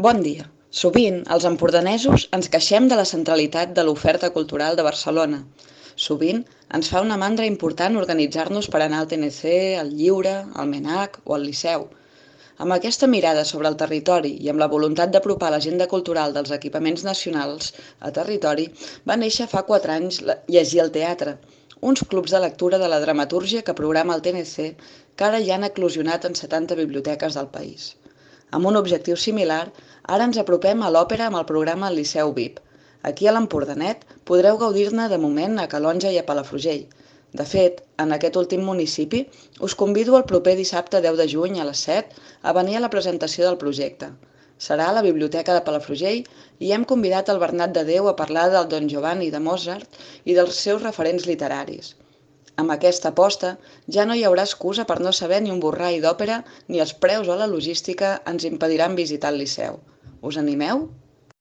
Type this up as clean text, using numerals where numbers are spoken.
Bon dia. Sovint, els empordanesos ens queixem de la centralitat de l'oferta cultural de Barcelona. Sovint, ens fa una mandra important organitzar-nos per anar al TNC, al Lliure, al MENAC o al Liceu. Amb aquesta mirada sobre el territori i amb la voluntat d'apropar l'agenda cultural dels equipaments nacionals a territori, va néixer fa 4 anys Llegir al Teatre, uns clubs de lectura de la dramatúrgia que programa el TNC que ara ja han eclosionat en 70 biblioteques del país. Amb un objectiu similar, ara ens apropem a l'òpera amb el programa Liceu VIP. Aquí a l'Empordanet podreu gaudir-ne de moment a Calonge i a Palafrugell. De fet, en aquest últim municipi, us convido el proper dissabte 10 de juny a les 7 a venir a la presentació del projecte. Serà a la Biblioteca de Palafrugell i hem convidat el Bernat de Déu a parlar del Don Giovanni de Mozart i dels seus referents literaris. Amb aquesta aposta ja no hi haurà excusa per no saber ni un borrall d'òpera ni els preus o la logística ens impediran visitar el Liceu. Us animeu?